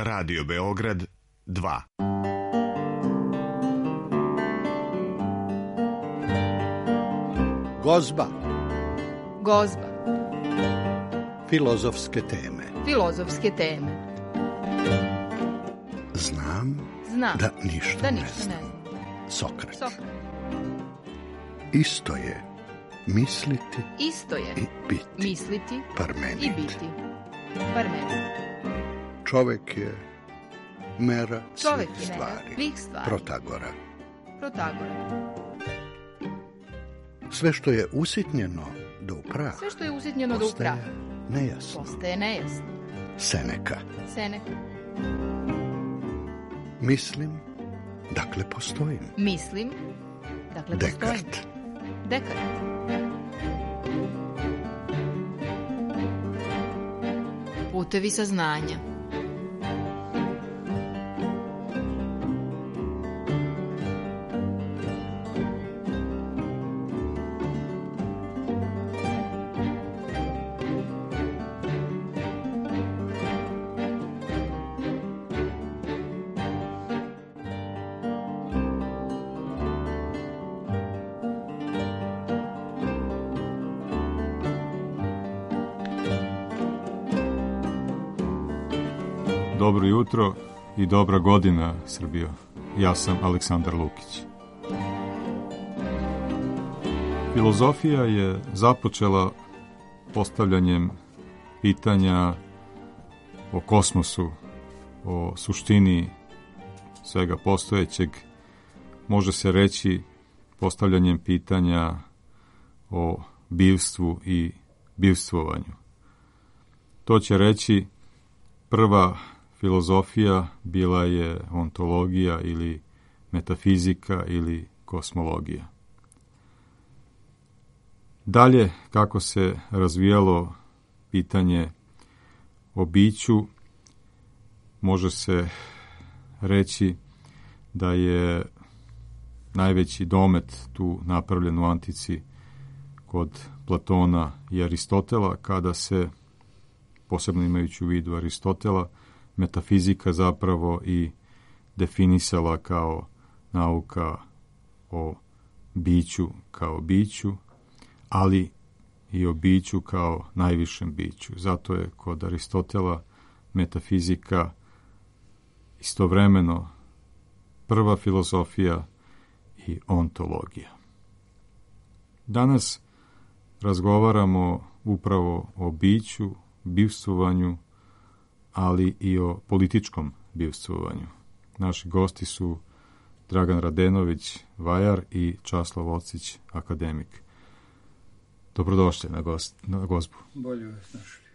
Radio Beograd 2. Gozba. Gozba. Filozofske teme. Filozofske teme. Znam da ništa ne znam. Sokrat. Isto je misliti i biti. Misliti Parmenid. i biti. Parmenid. Čovek je mera svih stvari. Protagora. Sve što je usitnjeno do prah. Postaje nejasno. Seneka. Mislim, dakle postojim. Dekart. Putevi saznanja. Dobro jutro i dobra godina, Srbijo. Ja sam Aleksandar Lukić. Filozofija je započela postavljanjem pitanja o kosmosu, o suštini svega postojećeg. Može se reći postavljanjem pitanja o bivstvu i bivstvovanju. To će reći prva filozofija bila je ontologija ili metafizika ili kosmologija. Dalje, kako se razvijalo pitanje o biću, može se reći da je najveći domet tu napravljen u antici kod Platona i Aristotela, kada se, posebno imajući u vidu Aristotela, metafizika zapravo i definisala kao nauka o biću kao biću, ali i o biću kao najvišem biću. Zato je kod Aristotela metafizika istovremeno prva filozofija i ontologija. Danas razgovaramo upravo o biću, bivstvovanju, ali i o političkom bivstvovanju. Naši gosti su Dragan Radenović, vajar, i Časlav Ocić, akademik. Dobrodošli na gozbu. Bolje vas našli.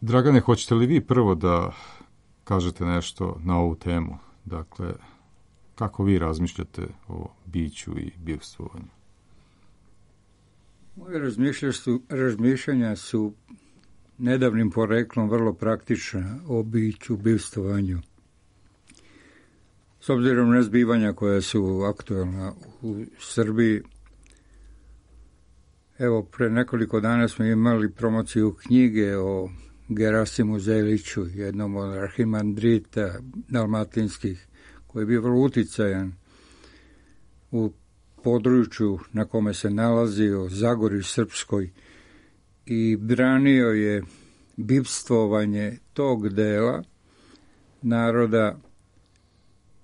Dragane, hoćete li vi prvo da kažete nešto na ovu temu? Dakle, kako vi razmišljate o biću i bivstvovanju? Moje razmišljanja su nedavnim poreklom vrlo praktična o biću, bivstvovanju. S obzirom na zbivanja koja su aktualna u Srbiji, evo, pre nekoliko dana smo imali promociju knjige o Gerasimu Zeliću, jednom od arhimandrita dalmatinskih, koji je bio vrlo uticajan u području na kome se nalazio, Zagorju Srpskoj, i branio je bivstvovanje tog dela naroda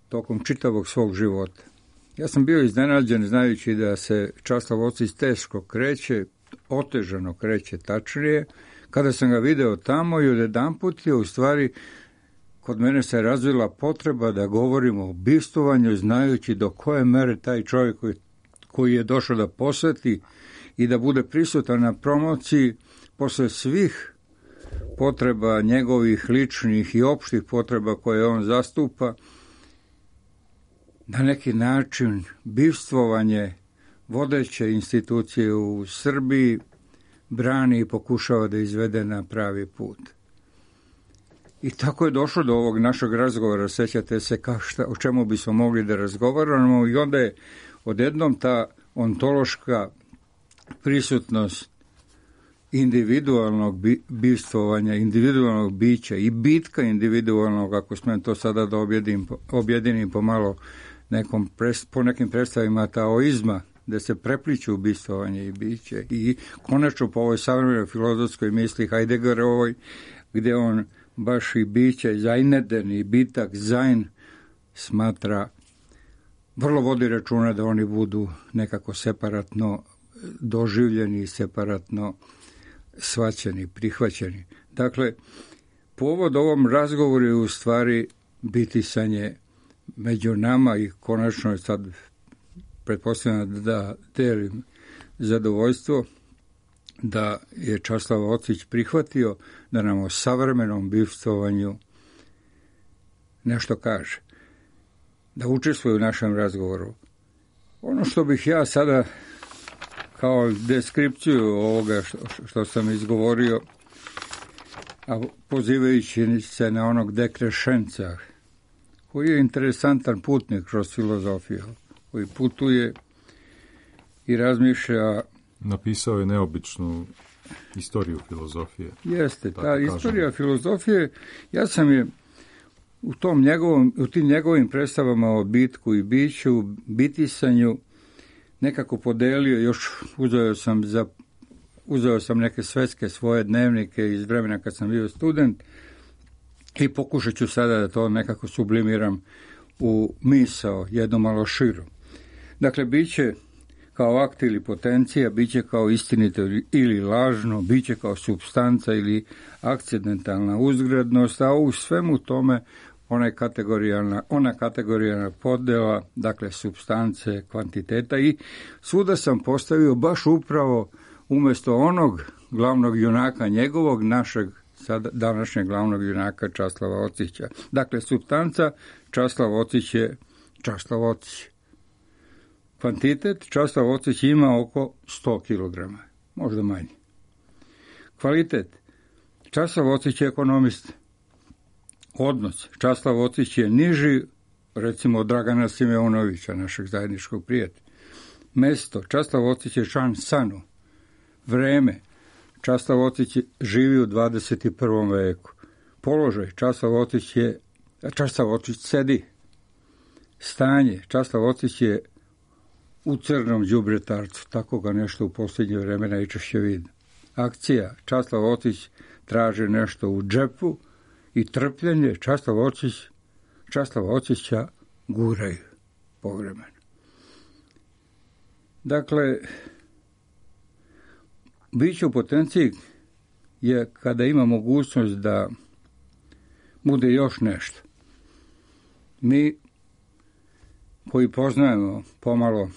tokom čitavog svog života. Ja sam bio iznenađen znajući da se Časlav Ocić teško kreće, otežano kreće tačnije, kada sam ga video tamo i odjedanput je u stvari kod mene se razvila potreba da govorimo o bivstvovanju, znajući do koje mere taj čovjek koji je došao da posveti i da bude prisutan na promociji posle svih potreba njegovih ličnih i opštih potreba koje on zastupa, na neki način bivstvovanje vodeće institucije u Srbiji brani i pokušava da izvede na pravi put. I tako je došlo do ovog našeg razgovora, sećate se o čemu bismo mogli da razgovaramo, i onda je odjednom ta ontološka prisutnost individualnog bivstvovanja, individualnog bića i bitka individualnog, ako smijem to sada da objedinim pomalo po nekim predstavima taoizma, gde se prepliču bivstvovanje i biće, i konačno po ovoj savremenoj filozofskoj misli Heideggerovoj, gde on baš i biće Seineden i bitak Sein smatra, vrlo vodi računa da oni budu nekako separatno doživljeni, separatno shvaćeni, prihvaćeni. Dakle, povod ovom razgovoru je u stvari bitisanje među nama i konačno je sad pretpostavljam da delim zadovoljstvo da je Časlav Ocić prihvatio da nam o savremenom bivstvovanju nešto kaže, da učestvuje u našem razgovoru. Ono što bih ja sada kao deskripciju ovoga što sam izgovorio, a pozivajući se na onog Dekrescenca, koji je interesantan putnik kroz filozofiju, koji putuje i razmišlja. Napisao je neobičnu istoriju filozofije. Jeste, ta istorija filozofije, ja sam je u tim njegovim predstavama o bitku i biću, bitisanju, nekako podelio, još uzeo sam neke svetske svoje dnevnike iz vremena kad sam bio student i pokušat ću sada da to nekako sublimiram u misao, jednu malo širu. Dakle, biće kao akt ili potencija, biće kao istinito ili lažno, biće kao supstanca ili akcidentalna uzgrednost, a u svemu tome ona kategorijalna podela, dakle supstance, kvantiteta, i svuda sam postavio baš upravo umjesto onog glavnog junaka njegovog, našeg današnjeg glavnog junaka Časlava Ocića. Dakle, supstanca, Časlav Ocić je Časlav Ocić. Kvantitet, Časlav Ocić ima oko 100 kg, možda manje. Kvalitet, Časlav Ocić je ekonomist. Odnos, Časlav Ocić je niži, recimo, od Dragana Simeonovića, našeg zajedničkog prijatelja. Mesto, Časlav Ocić je član SANU. Vreme, Časlav Ocić živi u 21. veku. Položaj, Časlav Ocić sedi. Stanje, Časlav Ocić je u crnom đubretarcu, tako ga nešto u posljednje vreme najčešće vidi. Akcija, Časlav Ocić traži nešto u džepu, i trpljenje, Časlav Ocića guraju povremeno. Dakle, biće u potenciji je kada ima mogućnost da bude još nešto. Mi koji poznajemo pomalo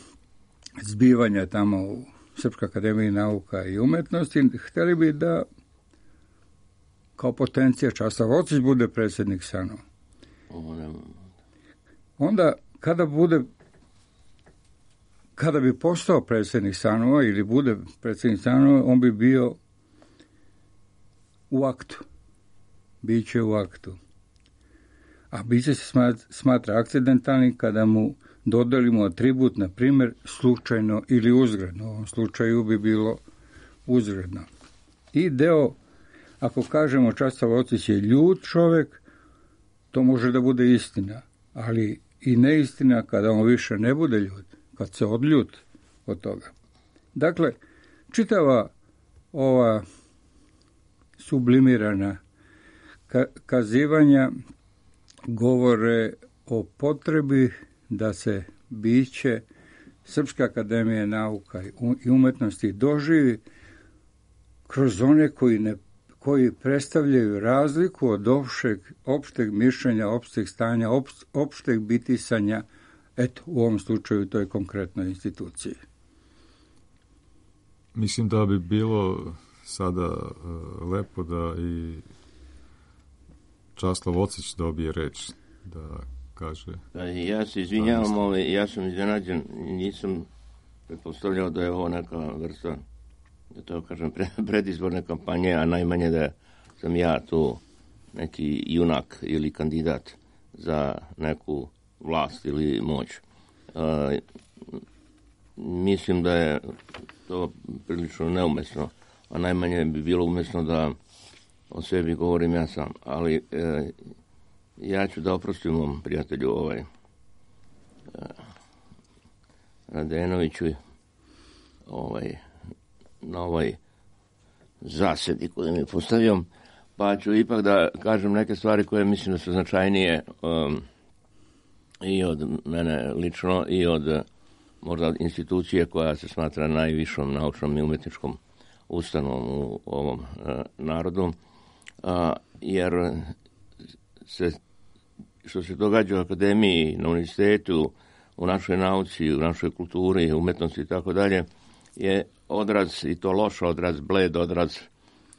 zbivanja tamo u Srpskoj akademiji nauka i umetnosti, htjeli bi da kao potencija Časlav Ocić bude predsjednik SANU. Onda, kada bi postao predsjednik SANU ili bude predsjednik SANU, on bi bio u aktu. Biće u aktu. A biće se smatra akcidentalnim kada mu dodelimo atribut, na primjer, slučajno ili uzgredno. U ovom slučaju bi bilo uzgredno. I deo, ako kažemo Časlav Ocić je ljut čovjek, to može da bude istina, ali i neistina kada on više ne bude ljut, kad se odljut od toga. Dakle, čitava ova sublimirana kazivanja govore o potrebi da se biće Srpske akademije nauka i umetnosti doživi kroz one koji predstavljaju razliku od opšteg mišljenja, opšteg stanja, opšteg bitisanja, eto, u ovom slučaju toj konkretnoj instituciji. Mislim da bi bilo sada lepo da i Časlav Ocić dobije reč, da kaže. Ja se izvinjavam, ali ja sam iznenađen, nisam pretpostavljao da je ovo neka vrsta, da to kažem, predizborne kampanje, a najmanje da sam ja tu neki junak ili kandidat za neku vlast ili moć. Mislim da je to prilično neumesno, a najmanje bi bilo umjesno da o sebi govorim ja sam. Ali ja ću da oprostim mom prijatelju Radenoviću na ovoj zasedi koju mi je postavio, pa ću ipak da kažem neke stvari koje mislim da su značajnije i od mene lično i od možda institucije koja se smatra najvišom naučnom i umjetničkom ustanovom u ovom narodu, jer što se događa u akademiji, na univerzitetu, u našoj nauci, u našoj kulturi, umjetnosti i tako dalje, je odraz, i to loš odraz, bled odraz,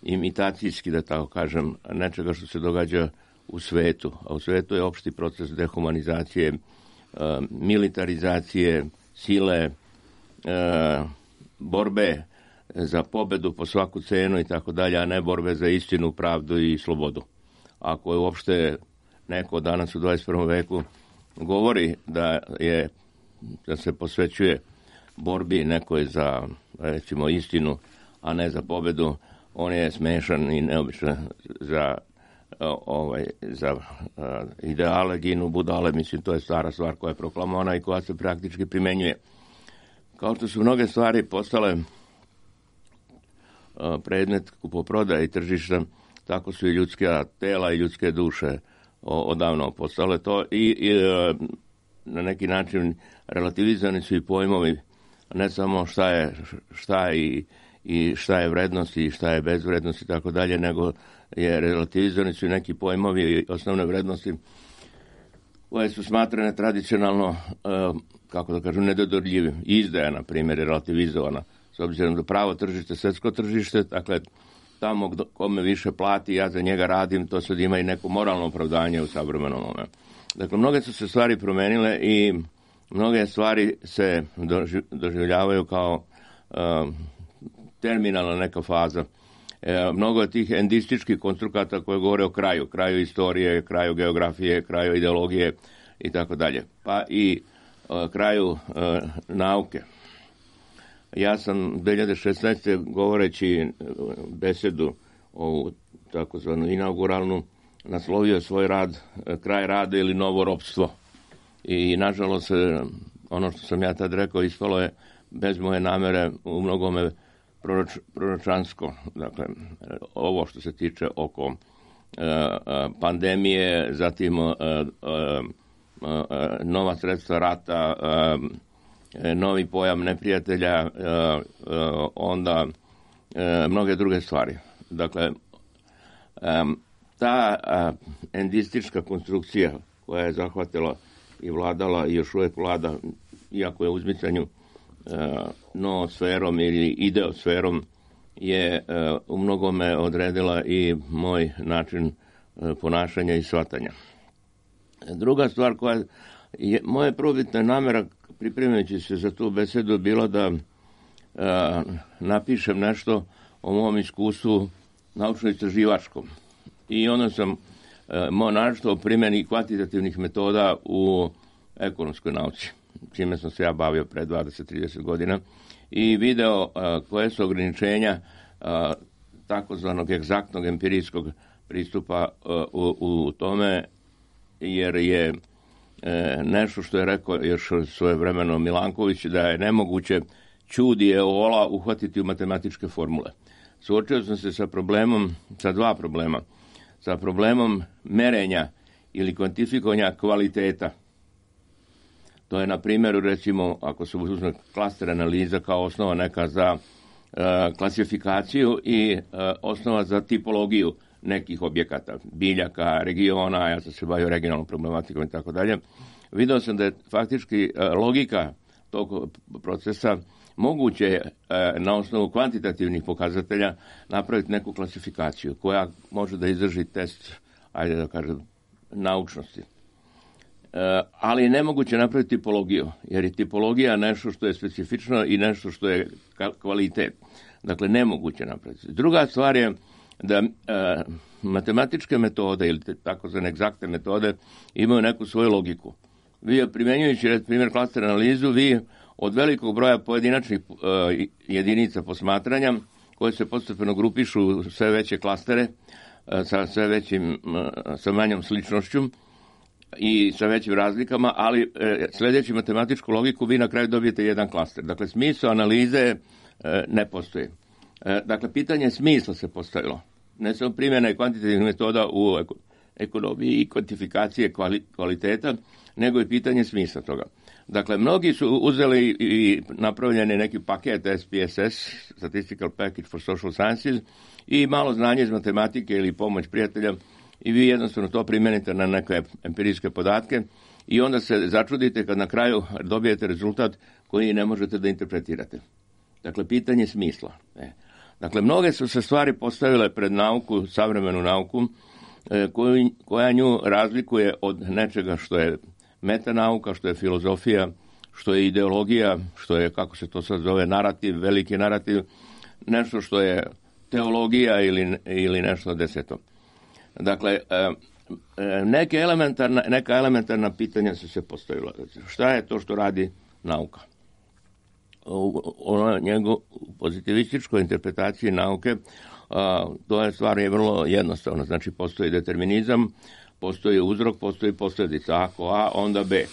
imitacijski, da tako kažem, nečega što se događa u svetu. A u svetu je opšti proces dehumanizacije, militarizacije, sile, borbe za pobedu po svaku cenu i tako dalje, a ne borbe za istinu, pravdu i slobodu. Ako je uopšte neko danas u 21. veku govori da se posvećuje borbi nekoj za, recimo, istinu, a ne za pobedu, on je smešan i neobičan za ideale, ginu budale. Mislim, to je stara stvar koja je proklamovana i koja se praktički primenjuje. Kao što su mnoge stvari postale predmet kupoprodaje i tržišta, tako su i ljudska tela i ljudske duše odavno postale to i na neki način relativizani su i pojmovi, ne samo šta je vrednost i šta je bezvrednost i tako dalje, nego je relativizani su i neki pojmovi i osnovne vrednosti koje su smatrane tradicionalno, kako da kažem, nedodorljivim. Izdaja, na primjer, je relativizovana, s obzirom da pravo tržište, svjetsko tržište, dakle, tamo kome više plati, ja za njega radim, to sad ima i neko moralno opravdanje u savremenom momentu. Dakle, mnoge su se stvari promenile i mnoge stvari se doživljavaju kao terminalna neka faza. Mnogo je tih endističkih konstrukata koje govore o kraju istorije, kraju geografije, kraju ideologije i tako dalje. Pa i kraju nauke. Ja sam 2016. govoreći besedu ovu takozvanu inauguralnu naslovio svoj rad Kraj rada ili novo ropstvo. I nažalost ono što sam ja tad rekao ispalo je bez moje namere u mnogome proročansko. Dakle, ovo što se tiče oko pandemije, zatim nova sredstva rata, novi pojam neprijatelja, onda mnoge druge stvari. Dakle, ta endistička konstrukcija koja je zahvatila i vladala i još uvijek vlada, iako je u uzmicanju noosferom ili ideosferom, je u mnogome odredila i moj način ponašanja i shvatanja. Druga stvar koja je moja prvobitna namjera pripremajući se za tu besedu bila da napišem nešto o mom iskustvu naučno-istraživačkom. I onda sam našto o primjeni kvantitativnih metoda u ekonomskoj nauci, čime sam se ja bavio pre 20-30 godina, i video koje su ograničenja takozvanog egzaktnog empirijskog pristupa u tome, jer je nešto što je rekao još svojevremeno Milanković, da je nemoguće ćudi eola uhvatiti u matematičke formule. Suočio sam se sa dva problema. Sa problemom merenja ili kvantifikovanja kvaliteta. To je, na primjeru, recimo, ako se uzme klaster analiza kao osnova neka za klasifikaciju i osnova za tipologiju nekih objekata, biljaka, regiona, ja sam se bavio regionalnom problematikom i tako dalje. Video sam da je faktički logika tog procesa moguće na osnovu kvantitativnih pokazatelja napraviti neku klasifikaciju koja može da izdrži test, ajde da kažem, naučnosti. Ali je nemoguće napraviti tipologiju, jer je tipologija nešto što je specifično i nešto što je kvalitet. Dakle, nemoguće napraviti. Druga stvar je da matematičke metode ili takozvane egzaktne metode imaju neku svoju logiku. Vi, primjenjujući primjer klaster analizu, vi od velikog broja pojedinačnih jedinica posmatranja koje se postepeno grupišu u sve veće klastere sa sve većim, sa manjom sličnošću i sa većim razlikama, ali sljedeći matematičku logiku vi na kraju dobijete jedan klaster. Dakle, smisao analize ne postoji. Dakle, pitanje smisla se postavilo. Ne samo primjena kvantitativnih metoda u ekonomiji i kvantifikacije kvaliteta, nego i pitanje smisla toga. Dakle, mnogi su uzeli i napravljeni neki paket SPSS, Statistical Package for Social Sciences, i malo znanje iz matematike ili pomoć prijatelja, i vi jednostavno to primjenite na neke empirijske podatke i onda se začudite kad na kraju dobijete rezultat koji ne možete da interpretirate. Dakle, pitanje smisla. Dakle, mnoge su se stvari postavile pred nauku, savremenu nauku, koja nju razlikuje od nečega što je metanauka, što je filozofija, što je ideologija, što je, kako se to sad zove, narativ, veliki narativ, nešto što je teologija ili nešto deseto. Dakle, neka elementarna pitanja su se postavila. Šta je to što radi nauka? U pozitivističkoj interpretaciji nauke to je stvar je vrlo jednostavno. Znači, postoji determinizam, postoji uzrok, postoji posljedica. Ako A, onda B.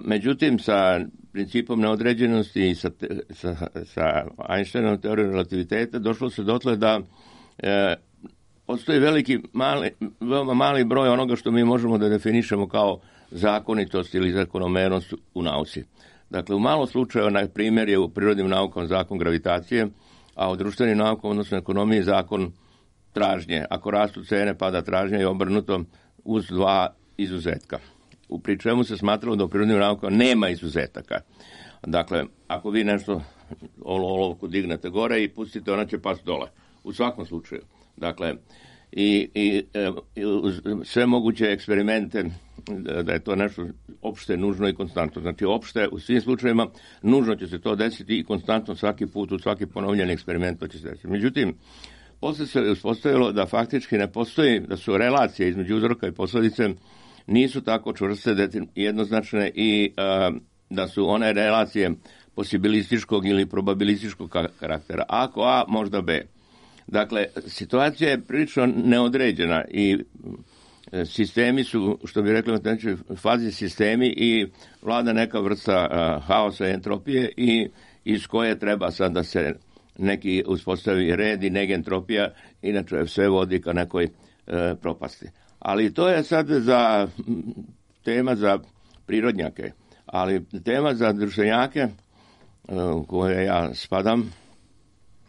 Međutim, sa principom neodređenosti i sa Einsteinovom teorijom relativiteta došlo se dotle da postoji veoma mali broj onoga što mi možemo da definišemo kao zakonitost ili zakonomernost u nauci. Dakle, u malo slučajeva, na primjer, je u prirodnim naukama zakon gravitacije, a u društvenim naukama, odnosno ekonomiji, zakon tražnje. Ako rastu cene, pada tražnje i obrnuto uz dva izuzetka. Pri čemu se smatralo da u prirodnim naukama nema izuzetaka. Dakle, ako vi nešto olovku dignete gore i pustite, ona će pasti dole. U svakom slučaju. Dakle, i sve moguće eksperimente, da je to nešto opšte, nužno i konstantno. Znači, opšte u svim slučajevima nužno će se to desiti i konstantno svaki put, u svaki ponovljeni eksperiment to će se desiti. Međutim, posle se uspostavilo da faktički ne postoji, da su relacije između uzroka i posljedice nisu tako čvrste, jednoznačne i da su one relacije posibilističkog ili probabilističkog karaktera. Ako A, možda B. Dakle, situacija je prilično neodređena i sistemi su, što bi rekli u fazi sistemi, i vlada neka vrsta haosa i entropije i iz koje treba sad da se neki uspostavi red i negentropija, inače sve vodi ka nekoj propasti. Ali to je sad tema za prirodnjake, ali tema za društvenjake u koje ja spadam,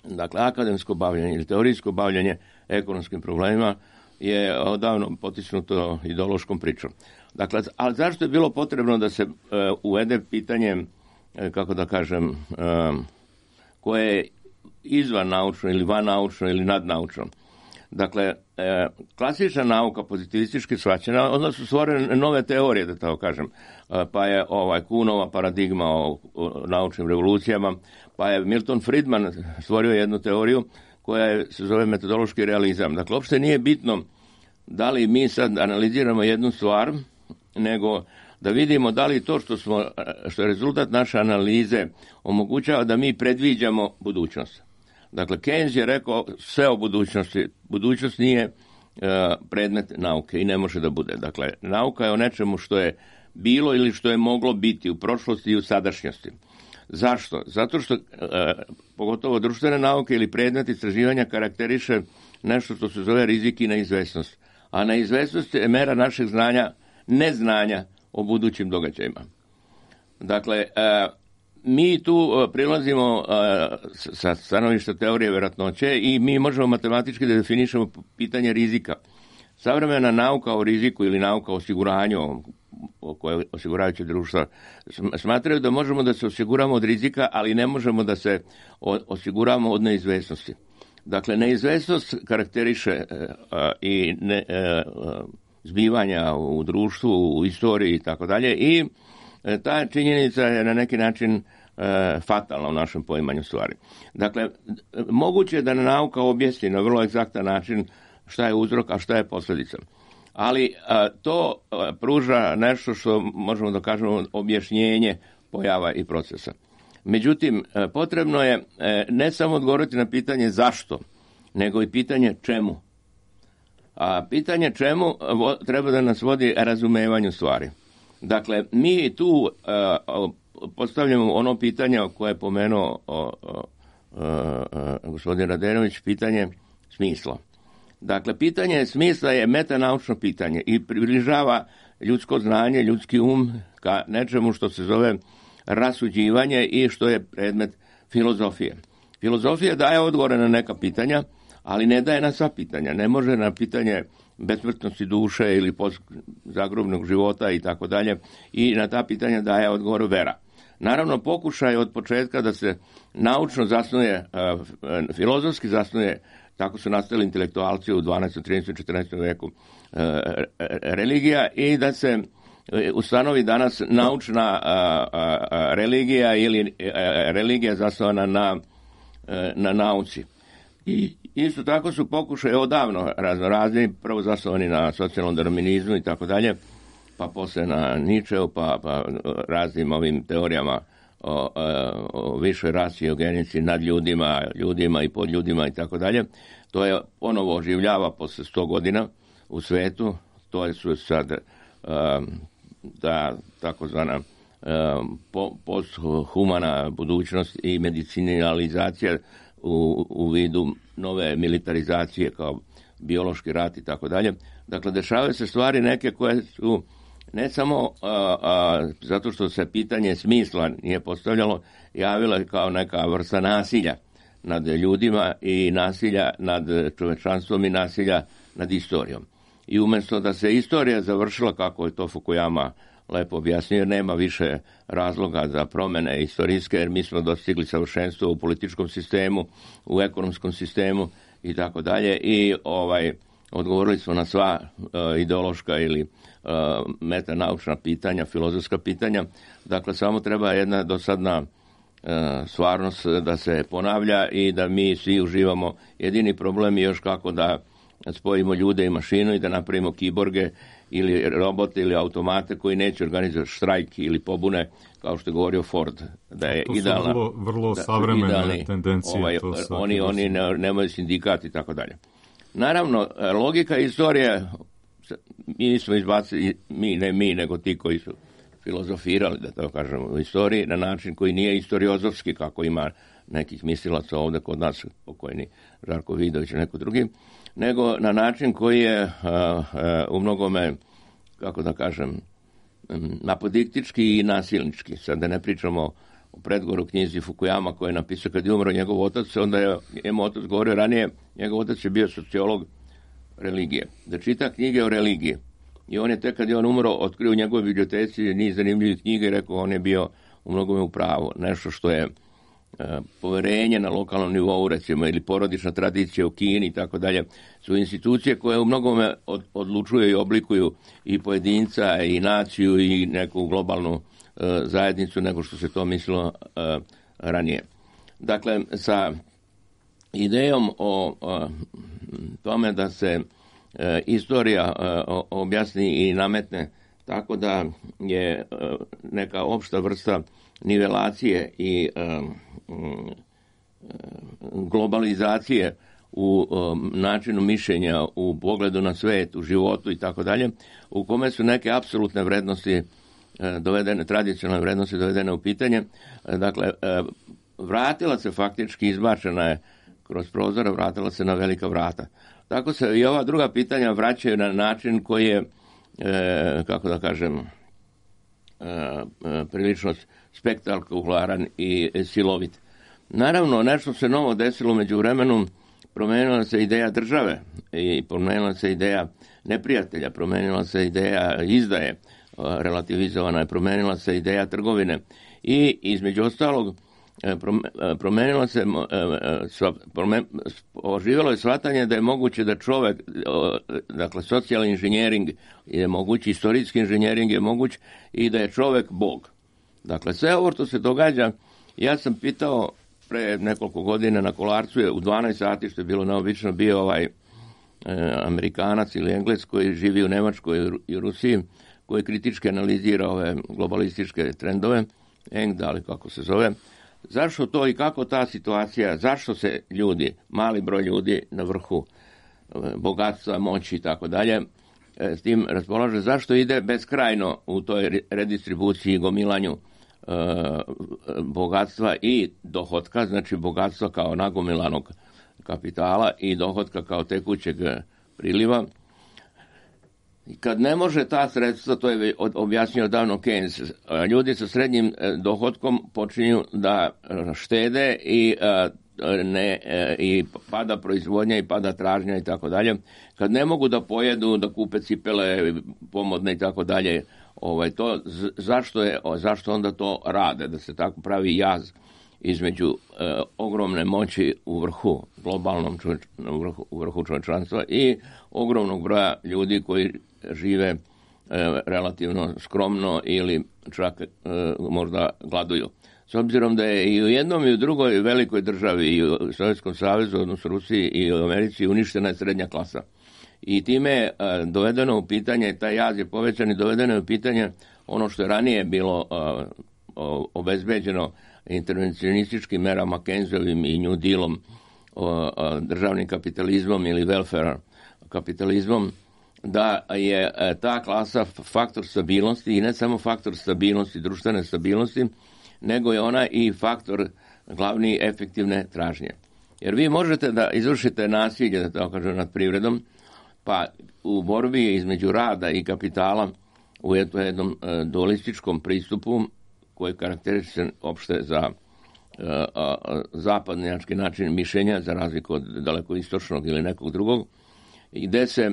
dakle akademsko bavljenje ili teorijsko bavljenje ekonomskim problemima, je odavno potisnuto ideološkom pričom. Dakle, ali zašto je bilo potrebno da se uvede pitanje, kako da kažem, koje je izvan naučno ili van naučno ili nadnaučno? Dakle, klasična nauka, pozitivistički shvaćena, onda su stvorene nove teorije, da tako kažem. Pa je Kuhnova paradigma o naučnim revolucijama, pa je Milton Friedman stvorio jednu teoriju koja se zove metodološki realizam. Dakle, uopšte nije bitno da li mi sad analiziramo jednu stvar, nego da vidimo da li to što je rezultat naše analize omogućava da mi predviđamo budućnost. Dakle, Keynes je rekao sve o budućnosti. Budućnost nije predmet nauke i ne može da bude. Dakle, nauka je o nečemu što je bilo ili što je moglo biti u prošlosti i u sadašnjosti. Zašto? Zato što pogotovo društvene nauke ili predmet istraživanja karakteriše nešto što se zove rizik i neizvesnost. A neizvesnost je mera našeg znanja, neznanja o budućim događajima. Dakle, mi tu prilazimo sa stanovišta teorije verovatnoće i mi možemo matematički da definišemo pitanje rizika. Savremena nauka o riziku ili nauka o osiguranju, koje osiguravajuće društva, smatraju da možemo da se osiguramo od rizika, ali ne možemo da se osiguramo od neizvesnosti. Dakle, neizvesnost karakteriše i zbivanja u društvu, u istoriji i tako dalje, i ta činjenica je na neki način fatalna u našem poimanju stvari. Dakle, moguće je da nauka objasni na vrlo egzaktan način šta je uzrok, a šta je posljedica. Ali to pruža nešto što možemo da kažemo objašnjenje pojava i procesa. Međutim, potrebno je ne samo odgovoriti na pitanje zašto, nego i pitanje čemu. A pitanje čemu treba da nas vodi razumevanju stvari. Dakle, mi tu postavljamo ono pitanje koje je pomenuo gospodin Radenović, pitanje smisla. Dakle, pitanje smisla je metanaučno pitanje i približava ljudsko znanje, ljudski ka nečemu što se zove rasuđivanje i što je predmet filozofije. Filozofija daje odgovore na neka pitanja, ali ne daje na sva pitanja. Ne može na pitanje besmrtnosti duše ili zagrobnog života i tako dalje, i na ta pitanja daje odgovor vera. Naravno, pokušaj od početka da se naučno zasnuje, filozofski zasnuje, tako su nastali intelektualci u 12., 13., 14. veku, religija, i da se ustanovi danas naučna religija ili religija zasnovana na nauci. I isto tako su pokušaje odavno razni, prvo zasnovani na socijalnom darwinizmu i tako dalje, pa posle na Nietzscheu, pa raznim ovim teorijama o višoj rasi i o genici nad ljudima i pod ljudima i tako dalje. To je ponovo oživljava posle 100 godina u svetu. To je sad ta takozvana posthumana budućnost i medicinalizacija u vidu nove militarizacije kao biološki rat i tako dalje. Dakle, dešavaju se stvari neke koje su ne samo zato što se pitanje smisla nije postavljalo, javila kao neka vrsta nasilja nad ljudima i nasilja nad čovečanstvom i nasilja nad istorijom. I umjesto da se istorija završila, kako je to Fukuyama lepo objasnio, jer nema više razloga za promene istorijske, jer mi smo dostigli savršenstvo u političkom sistemu, u ekonomskom sistemu i tako dalje, i odgovorili smo na sva ideološka ili metanaučna pitanja, filozofska pitanja. Dakle, samo treba jedna dosadna stvarnost da se ponavlja i da mi svi uživamo. Jedini problem je još kako da spojimo ljude i mašinu i da napravimo kiborge ili robote ili automate koji neće organizovati štrajk ili pobune, kao što je govorio Ford, da je to idealna. To su vrlo savremene tendencije. Oni nemaju sindikat i tako dalje. Naravno, logika istorije, mi smo izbacili, nego ti koji su filozofirali, da to kažemo, u istoriji na način koji nije istoriozovski, kako ima nekih mislilaca ovdje kod nas, pokojni Žarko Vidović i neko drugi, nego na način koji je u mnogome, kako da kažem, apodiktički i nasilnički. Sad da ne pričamo o predgovoru knjizi Fukuyama koji je napisao kad je umro njegov otac, onda je njemu otac govorio ranije, njegov otac je bio sociolog religije, da čita knjige o religiji. I on je tek kad je on umro otkrio u njegovoj biblioteci niz zanimljivih knjiga i rekao on je bio u mnogome u pravu. Nešto što je poverenje na lokalnom nivou, recimo, ili porodična tradicija u Kini i tako dalje, su institucije koje u mnogome odlučuju i oblikuju i pojedinca i naciju i neku globalnu zajednicu nego što se to mislilo ranije. Dakle, sa idejom o tome da se istorija objasni i nametne tako da je neka opšta vrsta nivelacije i globalizacije u načinu mišljenja, u pogledu na svet, u životu i tako dalje, u kome su neke apsolutne vrednosti dovedene, tradicionalne vrednosti dovedene u pitanje. Dakle, vratila se faktički, izbačena je kroz prozor, vratila se na velika vrata. Tako se i ova druga pitanja vraćaju na način koji je, kako da kažem, prilično spektakularan i silovit. Naravno, nešto se novo desilo među vremenu, promenila se ideja države i promenila se ideja neprijatelja, promenila se ideja izdaje, relativizovana je, promenila se ideja trgovine i između ostalog promenilo se, oživjelo je shvatanje da je moguće da čovjek, dakle socijalni inženjering je moguć, istorijski inženjering je moguć i da je čovjek Bog. Dakle, sve ovo što se događa, ja sam pitao pre nekoliko godina na Kolarcu je u 12 sati, što je bilo neobično, bio Amerikanac ili Englez koji živi u Nemačkoj i Rusiji, koji kritički analizira ove globalističke trendove, Engda, ali kako se zove, zašto to i kako ta situacija, zašto se ljudi, mali broj ljudi na vrhu bogatstva, moći i tako dalje, s tim raspolaže, zašto ide beskrajno u toj redistribuciji i gomilanju bogatstva i dohotka, znači bogatstva kao nagomilanog kapitala i dohotka kao tekućeg priliva. I kad ne može ta sredstva, to je objasnio davno Keynes, ljudi sa srednjim dohotkom počinju da štede i pada proizvodnja i pada tražnja i tako dalje. Kad ne mogu da pojedu, da kupe cipele pomodne i tako dalje, zašto onda to rade, da se tako pravi jaz između ogromne moći u vrhu, globalnom u vrhu čovječanstva i ogromnog broja ljudi koji žive relativno skromno ili čak možda gladuju. S obzirom da je i u jednom i u drugoj velikoj državi, i u Sovjetskom savezu, odnosno Rusiji i u Americi, uništena je srednja klasa. I time je dovedeno u pitanje, taj jaz je povećan i dovedeno je u pitanje ono što je ranije bilo obezbeđeno intervencionističkim merama, Keynesovim i New Dealom, državnim kapitalizmom ili welfare kapitalizmom, da je ta klasa faktor stabilnosti i ne samo faktor stabilnosti, društvene stabilnosti, nego je ona i faktor glavni efektivne tražnje. Jer vi možete da izvršite nasilje, da tako kažem, nad privredom, pa u borbi između rada i kapitala u jednom dualističkom pristupu koji karakteriše opšte za zapadnjački način mišljenja, za razliku od daleko istočnog ili nekog drugog, gde se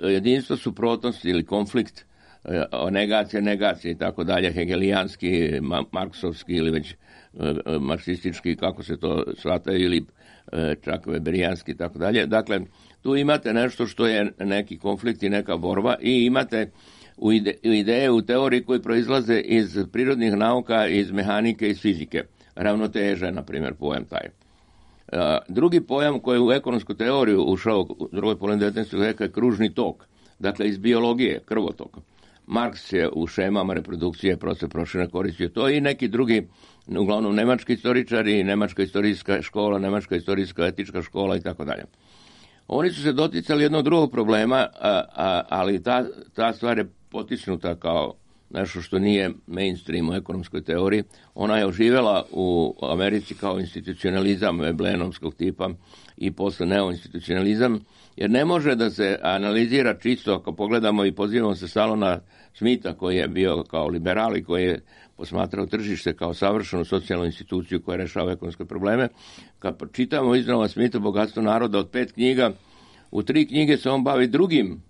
jedinstvo suprotnosti ili konflikt, negacija i tako dalje, hegelijanski, marksovski ili već marksistički, kako se to shvataju, ili čak weberijanski i tako dalje. Dakle, tu imate nešto što je neki konflikt i neka borba i imate ideje u teoriji koji proizlaze iz prirodnih nauka, iz mehanike, iz fizike. Ravnoteža, na primjer, pojam taj. Drugi pojam koji je u ekonomsku teoriju ušao u drugoj polovini 19. veka je kružni tok. Dakle, iz biologije, krvotok. Marks je u šemama reprodukcije proces proširene koristio to i neki drugi, uglavnom nemački istoričari, nemačka istorijska škola, nemačka istorijska etička škola i tako dalje. Oni su se doticali jednog drugog problema, ali ta stvar je potisnuta kao nešto što nije mainstream u ekonomskoj teoriji. Ona je oživjela u Americi kao institucionalizam Veblenovskog tipa i posle neoinstitucionalizam, jer ne može da se analizira čisto, ako pogledamo i pozivamo se stalno na Smitha, koji je bio kao liberal i koji je posmatrao tržište kao savršenu socijalnu instituciju koja rešava ekonomske probleme. Kad čitamo iznova Smitha Bogatstvo naroda od 5 knjiga, u 3 knjige se on bavi drugim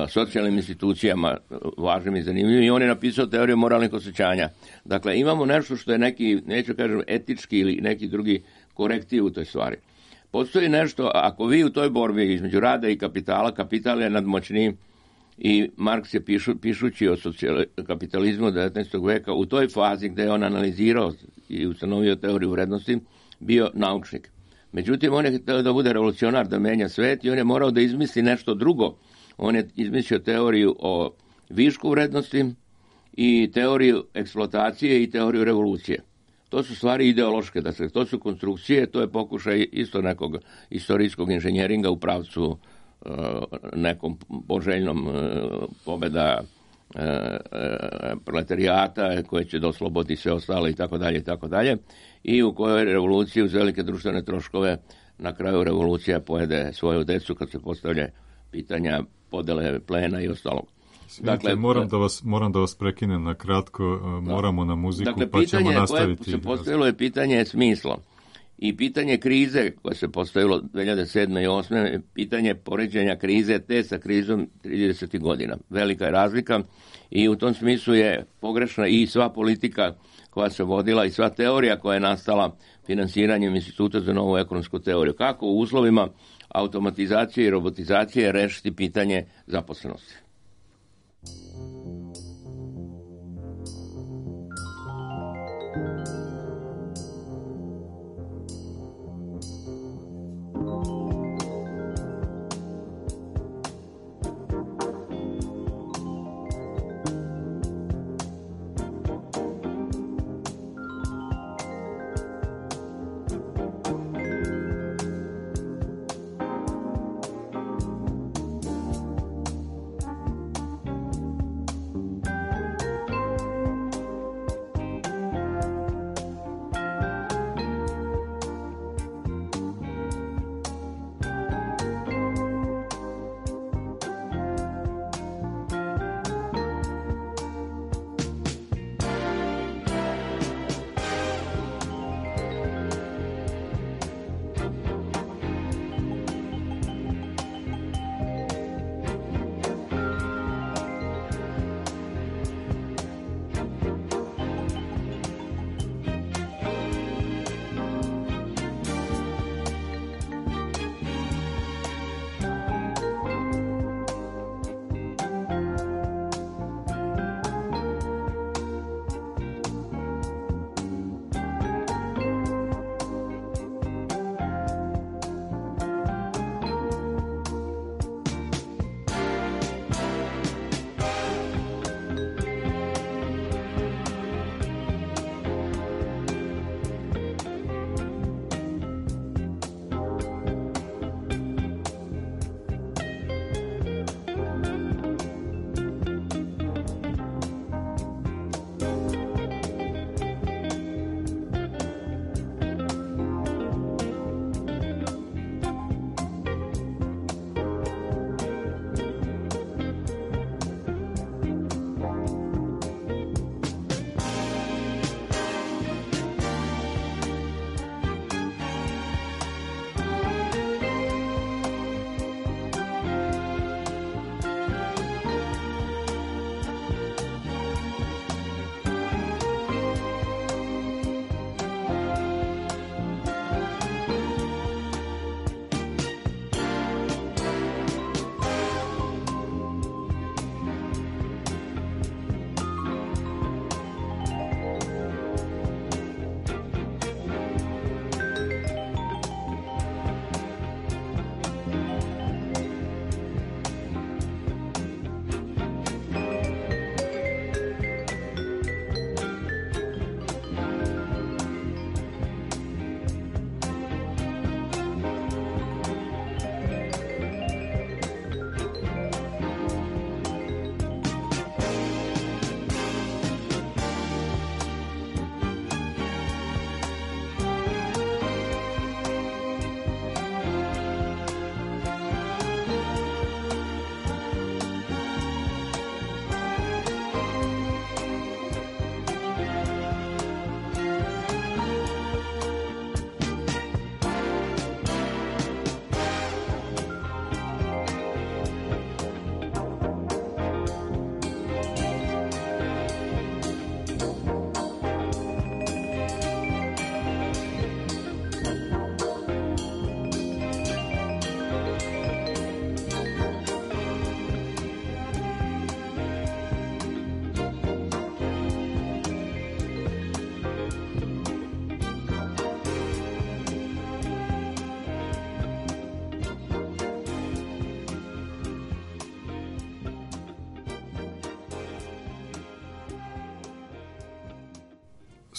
socijalnim institucijama važnim i zanimljivim i on je napisao teoriju moralnih osjećanja. Dakle, imamo nešto što je neki, neću kažem, etički ili neki drugi korektiv u toj stvari. Postoji nešto, ako vi u toj borbi između rada i kapitala, kapital je nadmoćniji i Marks je pišući o kapitalizmu 19. veka u toj fazi gde je on analizirao i ustanovio teoriju vrednosti, bio naučnik. Međutim, on je htio da bude revolucionar, da menja svet i on je morao da izmisli nešto drugo. On je izmislio teoriju o višku vrednosti i teoriju eksploatacije i teoriju revolucije. To su stvari ideološke, dakle, to su konstrukcije, to je pokušaj isto nekog istorijskog inženjeringa u pravcu nekom poželjnom pobeda proletarijata koje će da oslobodi sve ostale i tako dalje i tako dalje, i u kojoj revoluciji uz velike društvene troškove na kraju revolucija pojede svoju decu kad se postavlja pitanja podele plena i ostalog. Dakle, moram da vas prekinem na kratko, moramo na muziku, dakle, pa ćemo nastaviti. Se postavilo je pitanje smisla i pitanje krize koje se postavilo 2007. i 2008. pitanje poređenja krize te sa krizom 30. godina. Velika je razlika i u tom smislu je pogrešna i sva politika koja se vodila i sva teorija koja je nastala finansiranjem Instituta za novu ekonomsku teoriju. Kako u uslovima automatizacije i robotizacije rešiti pitanje zaposlenosti.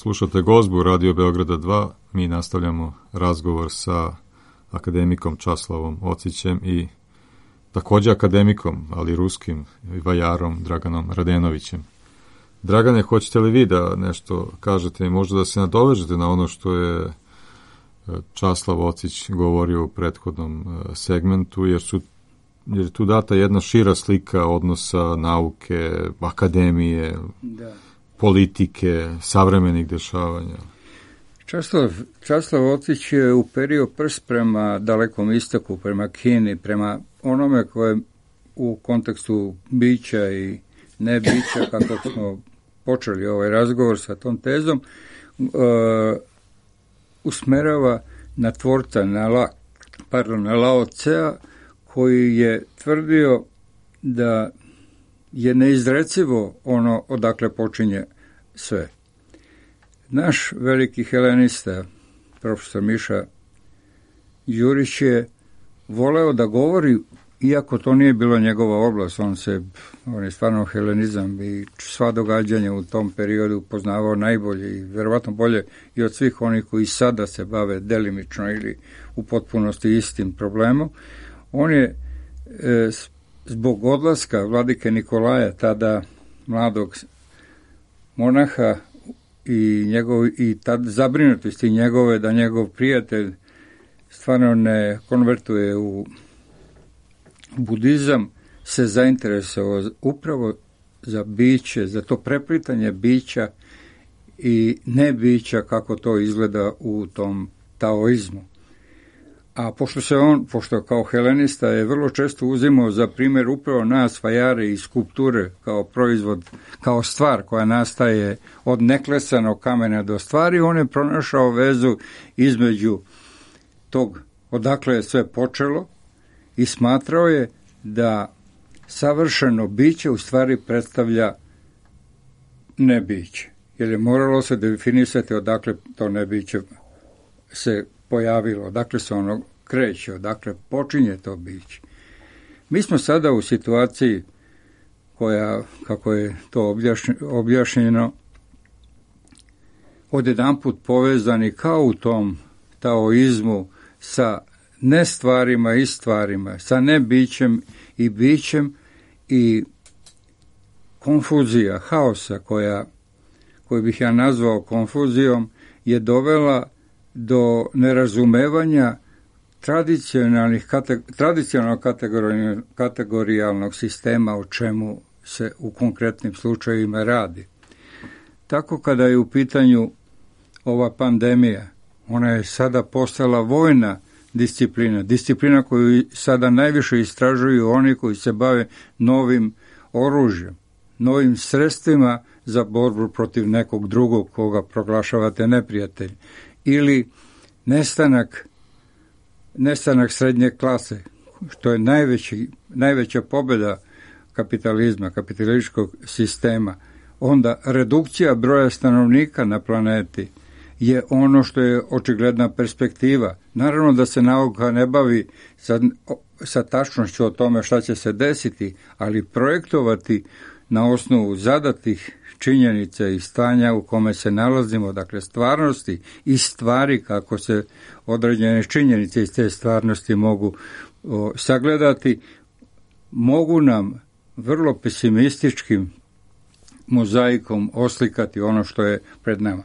Slušate Gozbu Radio Beograda 2. Mi nastavljamo razgovor sa akademikom Časlavom Ocićem i također akademikom, ali ruskim vajarom Draganom Radenovićem. Dragane, hoćete li vi da nešto kažete i možda da se nadovežete na ono što je Časlav Ocić govorio u prethodnom segmentu, jer je tu data jedna šira slika odnosa nauke, akademije, politike, savremenih dešavanja. Časlav Ocić je uperio prst prema dalekom istoku, prema Kini, prema onome koje u kontekstu bića i nebića, kako smo počeli ovaj razgovor sa tom tezom, usmerava na tvorca, na Lao Tsea, koji je tvrdio da je neizrecivo ono odakle počinje sve. Naš veliki helenista, profesor Miša Đurić, je voleo da govori, iako to nije bilo njegova oblast, on je stvarno helenizam i sva događanja u tom periodu poznavao najbolje i verovatno bolje i od svih onih koji sada se bave delimično ili u potpunosti istim problemom. On je zbog odlaska vladike Nikolaja, tada mladog monaha, i tad zabrinutosti njegove da njegov prijatelj stvarno ne konvertuje u budizam, se zainteresovao upravo za biće, za to preplitanje bića i nebića, kako to izgleda u tom taoizmu. A pošto kao helenista je vrlo često uzimao za primjer upravo nas, vajare i skulpture, kao proizvod, kao stvar koja nastaje od neklesanog kamena do stvari, on je pronašao vezu između tog odakle je sve počelo i smatrao je da savršeno biće u stvari predstavlja nebiće. Jer je moralo se definisati odakle to nebiće se pojavilo, odakle se ono kreće, odakle počinje to biće. Mi smo sada u situaciji koja, kako je to objašnjeno, odjedanput povezani kao u tom taoizmu sa nestvarima i stvarima, sa nebićem i bićem, i konfuzija, haosa koju bih ja nazvao konfuzijom, je dovela do nerazumevanja tradicionalnog kategorijalnog sistema, o čemu se u konkretnim slučajevima radi. Tako kada je u pitanju ova pandemija, ona je sada postala vojna disciplina koju sada najviše istražuju oni koji se bave novim oružjem, novim sredstvima za borbu protiv nekog drugog koga proglašavate neprijatelj, ili nestanak srednje klase, što je najveća pobjeda kapitalizma, kapitalističkog sistema. Onda redukcija broja stanovnika na planeti je ono što je očigledna perspektiva. Naravno da se nauka ne bavi sa tačnošću o tome šta će se desiti, ali projektovati na osnovu zadatih činjenica i stanja u kome se nalazimo, dakle stvarnosti i stvari, kako se određene činjenice iz te stvarnosti mogu sagledati, mogu nam vrlo pesimističkim mozaikom oslikati ono što je pred nama.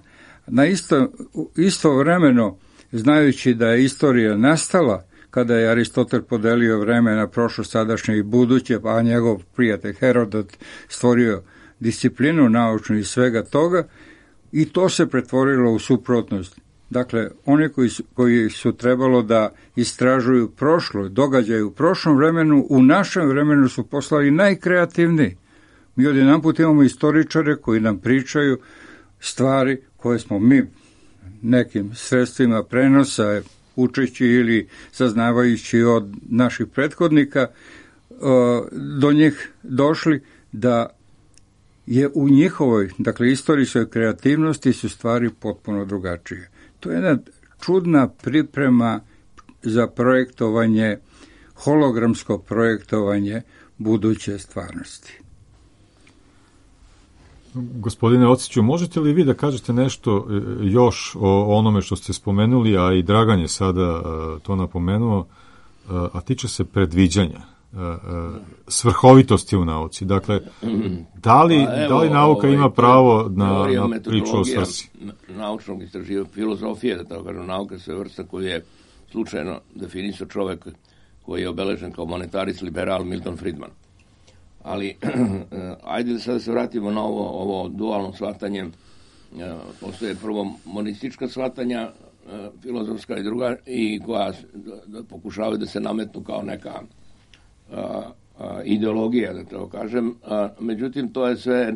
Istovremeno, znajući da je istorija nastala kada je Aristotel podelio vreme na prošlo, sadašnje i buduće, a njegov prijatelj Herodot stvorio disciplinu naučnu i svega toga, i to se pretvorilo u suprotnost. Dakle, oni koji su trebalo da istražuju prošlo, događaje u prošlom vremenu, u našem vremenu su poslali najkreativniji. Mi odjedanput imamo istoričare koji nam pričaju stvari koje smo mi nekim sredstvima prenosa, učeći ili saznavajući od naših prethodnika, do njih došli, da je u njihovoj, dakle, istorijskoj kreativnosti su stvari potpuno drugačije. To je jedna čudna priprema za projektovanje, hologramsko projektovanje buduće stvarnosti. Gospodine Ociću, možete li vi da kažete nešto još o onome što ste spomenuli, a i Dragan je sada to napomenuo, a tiče se predviđanja, svrhovitosti u nauci. Dakle, da li nauka ima pravo na priču o svrsi? Naučnog istraživanja, filozofije, da tako kažem, nauka se vrsta koju je slučajno definisao čovek koji je obeležen kao monetarist liberal Milton Friedman. Ali, ajde da sada se vratimo na ovo dualno shvatanje. Postoje prvo monistička shvatanja, filozofska i druga, i koja pokušavaju da se nametnu kao neka ideologija, da tako kažem. Međutim, to je sve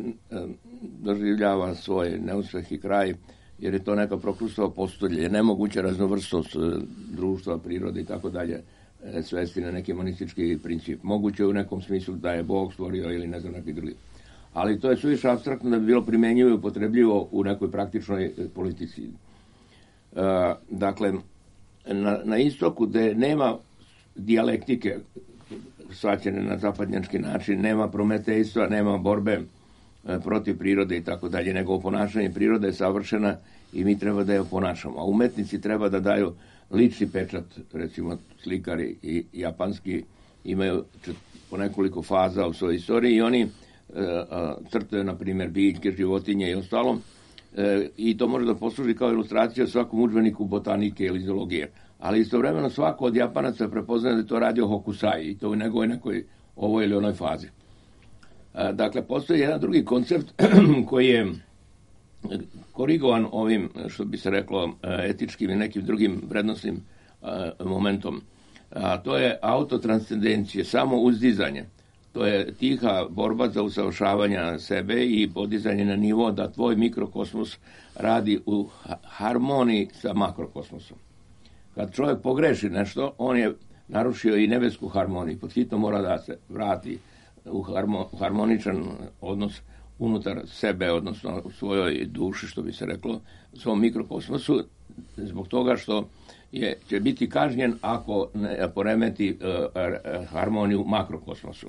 doživljava svoj neuspeh i kraj, jer je to neka prokrustova postolje. Je nemoguća raznovrstost društva, prirode i tako dalje svesti na neki monistički princip. Moguće je u nekom smislu da je Bog stvorio ili ne znam neki drugi. Ali to je suviše apstraktno da bi bilo primenjivo i upotrebljivo u nekoj praktičnoj politici. Dakle, na istoku gde nema dijalektike shvaćene na zapadnjački način, nema prometejstva, nema borbe protiv prirode i tako dalje, nego oponašanje prirode je savršena i mi treba da je oponašamo. A umetnici treba da daju lični pečat, recimo slikari i japanski imaju po nekoliko faza u svojoj istoriji i oni crtaju, na primjer, biljke, životinje i ostalo, i to može da posluži kao ilustracija svakom udžbeniku botanike ili zoologije. Ali istovremeno svako od Japanaca prepoznaje da je to radio Hokusai i to u nekoj ovoj ili onoj fazi. Dakle, postoji jedan drugi koncept koji je korigovan ovim, što bi se reklo, etičkim i nekim drugim vrednostnim momentom. A to je autotranscendencije, samo uzdizanje. To je tiha borba za usavršavanje sebe i podizanje na nivo da tvoj mikrokosmos radi u harmoniji sa makrokosmosom. Kad čovjek pogreši nešto, on je narušio i nebesku harmoniju. Pod hitno mora da se vrati u harmoničan odnos unutar sebe, odnosno u svojoj duši, što bi se reklo, u svom mikrokosmosu, zbog toga što će biti kažnjen ako ne poremeti harmoniju u makrokosmosu.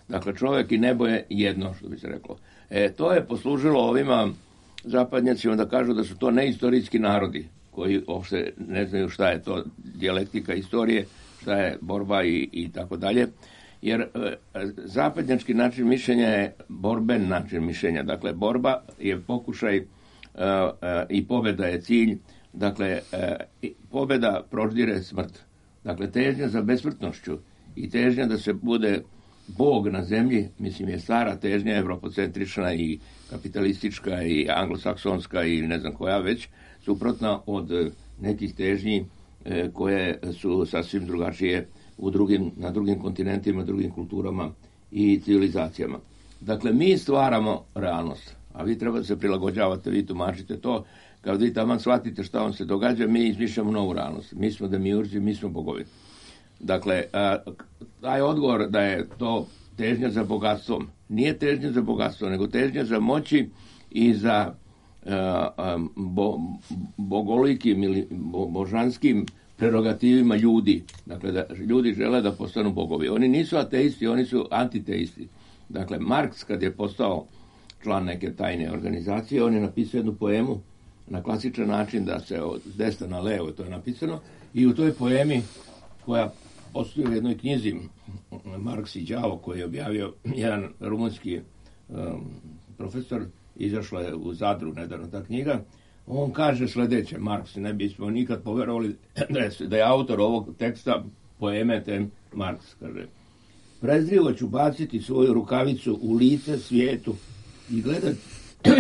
Dakle, čovjek i nebo je jedno, što bi se reklo. To je poslužilo ovima zapadnjacima da kažu da su to neistorijski narodi, koji uopšte ne znaju šta je to dijalektika istorije, šta je borba i tako dalje. Jer zapadnjački način mišljenja je borben način mišljenja. Dakle, borba je pokušaj i pobjeda je cilj. Dakle, pobjeda proždire smrt. Dakle, težnja za besmrtnošću i težnja da se bude Bog na zemlji, mislim, je stara težnja, evropocentrična i kapitalistička i anglosaksonska i ne znam koja već, suprotna od nekih težnji koje su sasvim drugačije na drugim kontinentima, drugim kulturama i civilizacijama. Dakle, mi stvaramo realnost, a vi treba da se prilagođavate, vi tumačite to. Kad vi tamo shvatite šta vam se događa, mi izmišljamo novu realnost. Mi smo demiurzi, mi smo bogovi. Dakle, taj odgovor da je to težnja za bogatstvom, nije težnja za bogatstvo, nego težnja za moći i za bogolikim ili božanskim prerogativima ljudi. Dakle, da ljudi žele da postanu bogovi. Oni nisu ateisti, oni su antiteisti. Dakle, Marks, kad je postao član neke tajne organizacije, on je napisao jednu poemu na klasičan način, da se od desna na levo, to je napisano, i u toj poemi, koja postoji u jednoj knjizi Marks i đavo, koji je objavio jedan rumunski profesor, izašla je u Zadru nedavno ta knjiga, on kaže sledeće, Marks, ne bismo nikad poverovali da je autor ovog teksta poeme ten Marks, kaže: prezrivo ću baciti svoju rukavicu u lice svijetu i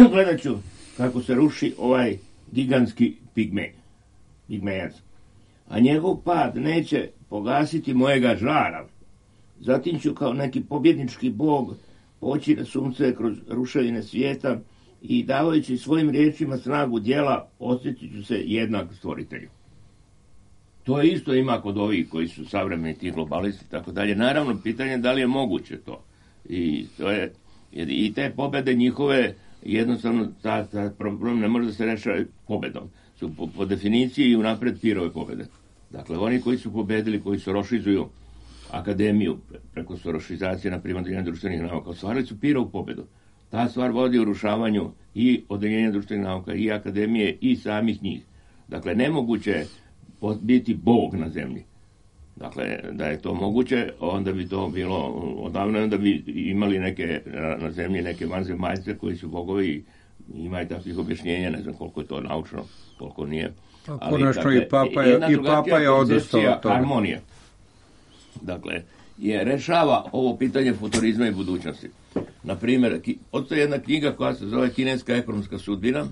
gledat ću kako se ruši ovaj gigantski pigmejac. A njegov pad neće pogasiti mojega žara. Zatim ću kao neki pobjednički bog poći na sunce kroz ruševine svijeta i davajući svojim riječima snagu djela osjetit ću se jednak stvoritelju. To isto ima kod ovih koji su savremeni ti globalisti i tako dalje. Naravno, pitanje je da li je moguće to. I te pobjede njihove, jednostavno, ta problem ne može da se rešava pobjedom. Su po definiciji i unapred pirove pobjede. Dakle, oni koji su pobedili, koji su rošizuju akademiju preko sorošizacije, na primjer, društvenih nauka, ostvarili su pirovu pobjedu. ta stvar vodi u rušavanju i odeljenja društvenih nauka, i akademije, i samih njih. Dakle, nemoguće je biti Bog na zemlji. Dakle, da je to moguće, onda bi to bilo odavno, onda bi imali na zemlji neke vanzemaljce koji su bogovi, imaju takvih objašnjenja, ne znam koliko je to naučno, koliko nije. Konačno i Papa je odustao od toga. Harmonija. Dakle, rešava ovo pitanje futurizma i budućnosti. Naprimjer, postoji jedna knjiga koja se zove Kineska ekonomska sudbina,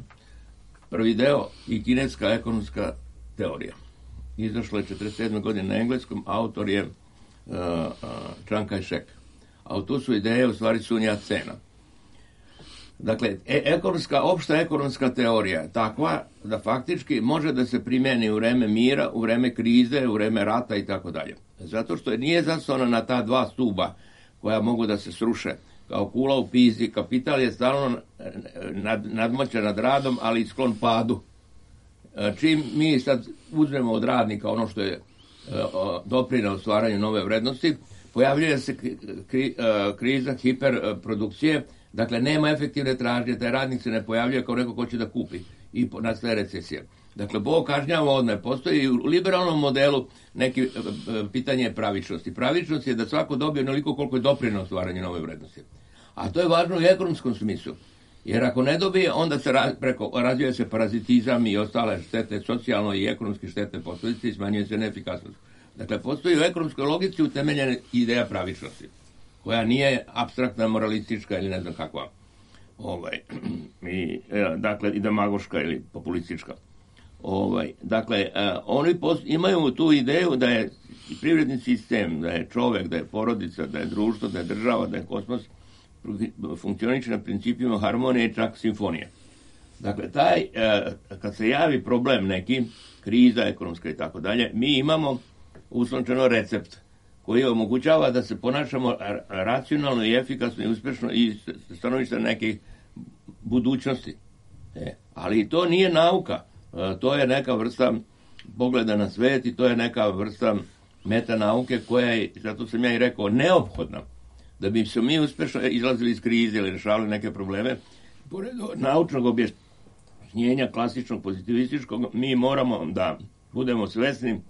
prvi deo, i Kineska ekonomska teorija. Izašlo je 47. godine na engleskom, autor je Chiang Kai-shek. A tu su ideje u stvari Sun Yat-sena. Dakle, opšta ekonomska teorija je takva da faktički može da se primjeni u vreme mira, u vreme krize, u vreme rata i tako dalje. Zato što nije zasnovana na ta dva stuba koja mogu da se sruše. Kao kula u pizi, kapital je stalno nadmoćan nad radom, ali sklon padu. Čim mi sad uzmemo od radnika ono što je doprineo stvaranju nove vrednosti, pojavljuje se kriza hiperprodukcije, dakle nema efektivne tražnje, taj radnik se ne pojavljuje kao neko ko će da kupi i nastaje recesija. Dakle, Bog kažnjava odmah. Postoji u liberalnom modelu neki pitanje pravičnosti. Pravičnost je da svako dobije onoliko koliko je doprineo stvaranju nove vrednosti. A to je važno u ekonomskom smislu. Jer ako ne dobije, onda se razvija se parazitizam i ostale štete, socijalno i ekonomske štete posljedice i smanjuje se neefikasnost. Dakle, postoji u ekonomskoj logici utemeljena ideja pravičnosti, koja nije apstraktna, moralistička ili ne znam kakva. Dakle, i demagoška ili populistička. Dakle, oni imaju tu ideju da je privredni sistem, da je čovek, da je porodica, da je društvo, da je država, da je kosmos, funkcioniše na principima harmonije i čak simfonije. Dakle, kad se javi problem neki, kriza ekonomska i tako dalje, mi imamo uslovčeno recept koji omogućava da se ponašamo racionalno i efikasno i uspješno i stanovište nekih budućnosti. Ali to nije nauka, to je neka vrsta pogleda na svet i to je neka vrsta metanauke koja je, zato sam ja i rekao, neophodna. Da bi se mi uspješno izlazili iz krize ili rešavali neke probleme, pored naučnog objašnjenja klasičnog pozitivističkog, mi moramo da budemo svesni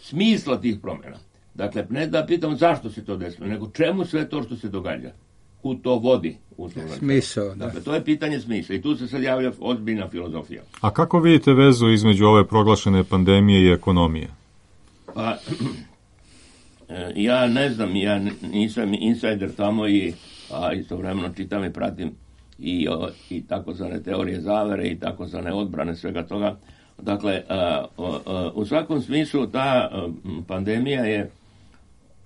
smisla tih promjena. Dakle, ne da pitamo zašto se to desilo, nego čemu sve to što se događa. Kud to vodi? Smisao. Dakle, to je pitanje smisla i tu se sad javlja ozbiljna filozofija. A kako vidite vezu između ove proglašene pandemije i ekonomije? Pa, ja ne znam, ja nisam insider tamo a istovremeno čitam i pratim i takozvane teorije zavere i takozvane odbrane svega toga. Dakle, u svakom smislu ta pandemija je,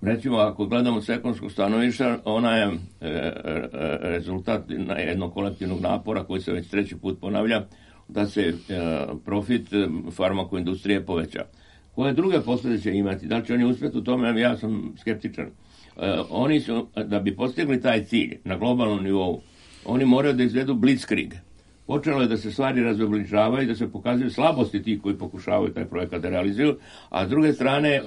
recimo ako gledamo s ekonomskog stanovišta, ona je rezultat jednog kolektivnog napora koji se već treći put ponavlja, da se profit farmakoindustrije poveća. Koje druge posljedice će imati? Da li će oni uspjeti u tome? Ja sam skeptičan. Oni su, da bi postigli taj cilj na globalnom nivou, oni moraju da izvedu blitzkrieg. Počelo je da se stvari razobličavaju i da se pokazuju slabosti tih koji pokušavaju taj projekat da realizuju, a s druge strane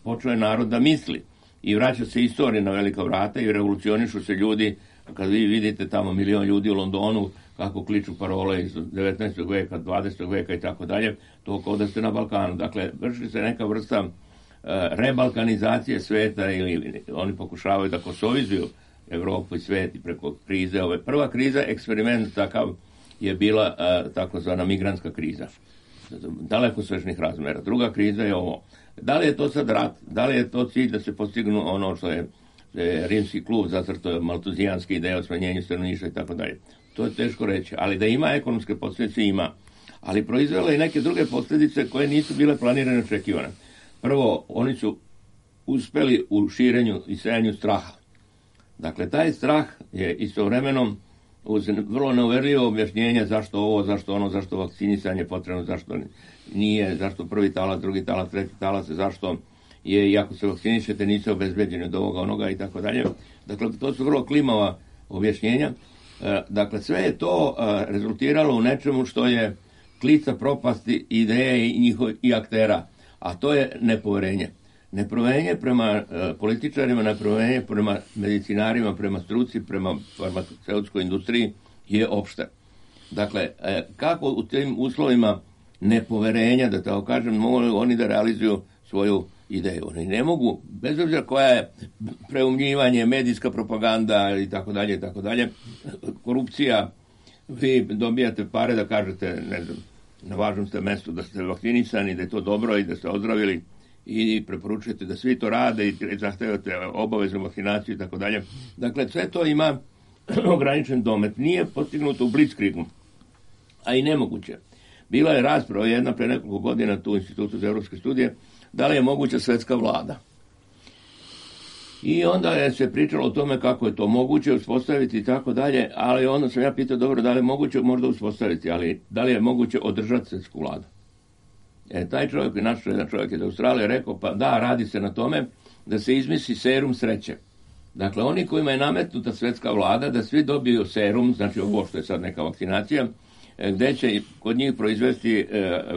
počeo je narod da misli i vraća se istorija na velika vrata i revolucionišu se ljudi. Kad vi vidite tamo 1 milion ljudi u Londonu kako kliču parole iz 19. veka, 20. veka i tako dalje, to kao da ste na Balkanu. Dakle, vrši se neka vrsta rebalkanizacije sveta ili oni pokušavaju da kosovizuju Evropu i svet i preko krize. Prva kriza, eksperiment takav, je bila takozvana migrantska kriza. Daleko svežnih razmera. Druga kriza je ovo. Da li je to sad rat? Da li je to cilj da se postignu ono što je rimski klub zacrtao maltuzijanske ideje o smanjenju stanovništva i tako dalje? To je teško reći. Ali da ima ekonomske posljedice, ima. Ali proizvela i neke druge posljedice koje nisu bile planirane i očekivane. Prvo, oni su uspeli u širenju i sejanju straha. Dakle, taj strah je istovremeno uz vrlo neuverljivo objašnjenje zašto ovo, zašto ono, zašto vakcinisanje potrebno, zašto nije, zašto prvi talas, drugi talas, treći talas, zašto je, i ako se vakcinišete, niste obezbeđeni od ovoga, onoga i tako dalje. Dakle, to su vrlo klimava objašnjenja. Dakle, sve je to rezultiralo u nečemu što je klica propasti ideje i aktera, a to je nepoverenje. Nepoverenje prema političarima, nepoverenje prema medicinarima, prema struci, prema farmaceutskoj industriji je opšte. Dakle, kako u tim uslovima nepoverenja, da tako kažem, mogu oni da realizuju svoju ideju. Oni ne mogu, bez obzira koja je preumnjivanje, medijska propaganda i tako dalje, korupcija, vi dobijate pare da kažete, ne znam, na važnom ste mestu da ste vakcinisani, da je to dobro i da ste ozdravili i preporučujete da svi to rade i zahtevate obaveznu vakcinaciju i tako dalje. Dakle, sve to ima ograničen domet. Nije postignuto u blitzkriegu, a i nemoguće. Bila je rasprava jedna pre nekoliko godina tu u Institutu za evropske studije, da li je moguća svetska vlada. I onda je se pričalo o tome kako je to moguće uspostaviti i tako dalje, ali onda sam ja pitao, dobro, da li je moguće možda uspostaviti, ali da li je moguće održati svetsku vladu? Taj čovjek, naš jedan čovjek iz Australije, rekao, pa da, radi se na tome da se izmisli serum sreće. Dakle, oni kojima je nametnuta svetska vlada, da svi dobiju serum, znači ovo što je sad neka vakcinacija, gde će kod njih proizvesti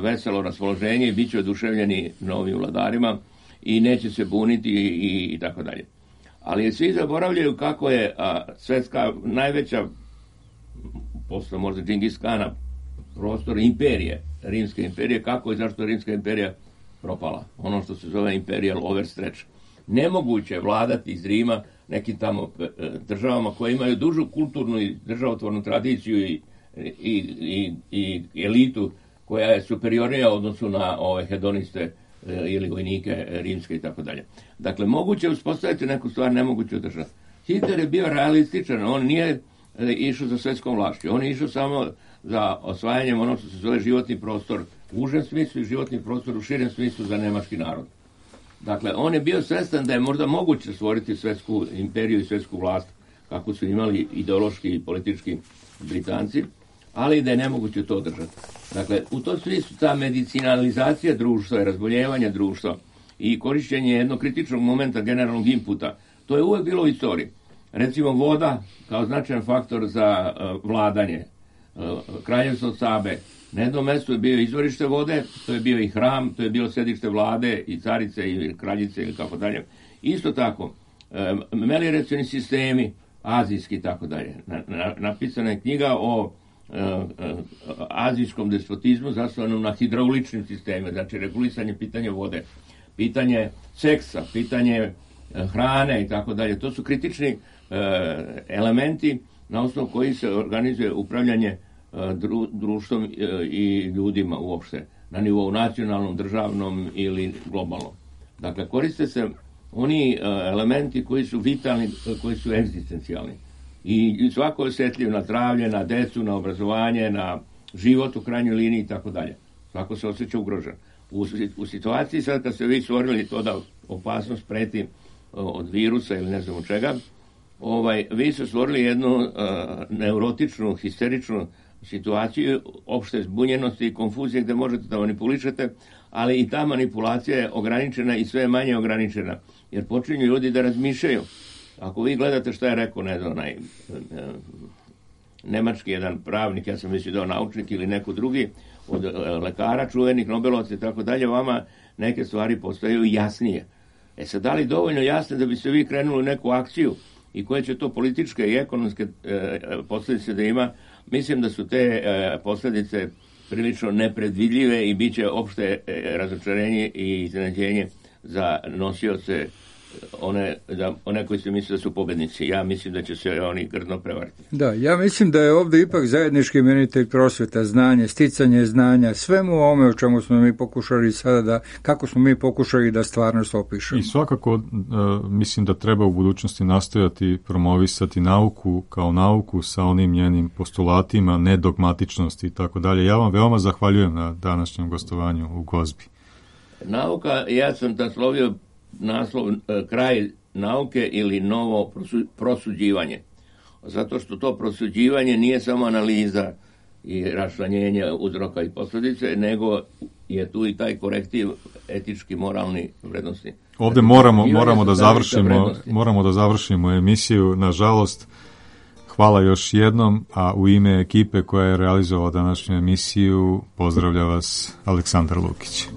veselo raspoloženje i bit će oduševljeni novim vladarima i neće se buniti i tako dalje. Ali svi zaboravljaju kako je svetska najveća, posle možda Džingis Kana, prostor imperije, Rimske imperije, kako i zašto je Rimska imperija propala. Ono što se zove imperial overstretch. Nemoguće je vladati iz Rima nekim tamo državama koje imaju dužu kulturnu i državotvornu tradiciju i elitu koja je superiornija u odnosu na ove hedoniste ili vojnike rimske i tako dalje. Dakle, moguće je uspostaviti neku stvar, nemoguće održati. Hitler je bio realističan, on nije išao za svetskom vlašću, on je išao samo za osvajanjem ono što se zove životni prostor u užem smislu i životni prostor u širem smislu za nemački narod. Dakle, on je bio svestan da je možda moguće stvoriti svetsku imperiju i svetsku vlast, kako su imali ideološki i politički Britanci, ali da je nemoguće to održati. Dakle, u tom smislu ta medicinalizacija društva i razboljevanje društva i korišćenje jednog kritičnog momenta generalnog inputa, to je uvek bilo u istoriji. Recimo, voda kao značajan faktor za vladanje. Kraljevstvo Sabe, na jednom mestu je bio izvorište vode, to je bio i hram, to je bilo sedište vlade i carice i kraljice ili kako dalje. Isto tako, melioracioni sistemi, azijski i tako dalje. Napisana je knjiga o azijskom despotizmu zasnovanom na hidrauličnim sistemima, znači regulisanje pitanja vode, pitanje seksa, pitanje hrane i tako dalje. To su kritični elementi na osnovu koji se organizuje upravljanje društvom i ljudima uopšte, na nivou nacionalnom, državnom ili globalnom. Dakle, koriste se oni elementi koji su vitalni, koji su egzistencijalni. I svako je osjetljiv na zdravlje, na decu, na obrazovanje, na život u krajnjoj liniji i tako dalje. Svako se osjeća ugrožen. U situaciji sad kad ste vi stvorili to da opasnost preti od virusa ili ne znam od čega, vi ste stvorili jednu neurotičnu, histeričnu situaciju opšte zbunjenosti i konfuzije gde možete da manipulišete, ali i ta manipulacija je ograničena i sve manje ograničena, jer počinju ljudi da razmišljaju. Ako vi gledate šta je rekao, ne znam, nemački jedan pravnik, ja sam mislio da je naučnik ili neko drugi, od lekara, čuvenih, nobelovaca i tako dalje, vama neke stvari postaju jasnije. Sad, da li dovoljno jasne da bi se vi krenuli u neku akciju i koje će to političke i ekonomske posljedice da ima? Mislim da su te posljedice prilično nepredvidljive i bit će opšte razočarenje i iznenađenje za nosioce one koji se misle da su pobednici. Ja mislim da će se oni grdno prevariti. Da, ja mislim da je ovdje ipak zajednički imenitelj prosveta, znanje, sticanje znanja, svemu ovome o čemu smo mi pokušali sada kako smo mi pokušali da stvarnost opišemo. I svakako mislim da treba u budućnosti nastojati promovisati nauku kao nauku sa onim njenim postulatima, nedogmatičnosti i tako dalje. Ja vam veoma zahvaljujem na današnjem gostovanju u Gozbi. Nauka, ja sam naslovio naslov kraj nauke ili novo prosuđivanje. Zato što to prosuđivanje nije samo analiza i raščlanjenje uzroka i posljedice, nego je tu i taj korektiv etički, moralni vrednosti. Ovdje moramo da završimo emisiju. Nažalost, hvala još jednom, a u ime ekipe koja je realizovala današnju emisiju pozdravlja vas Aleksandar Lukić.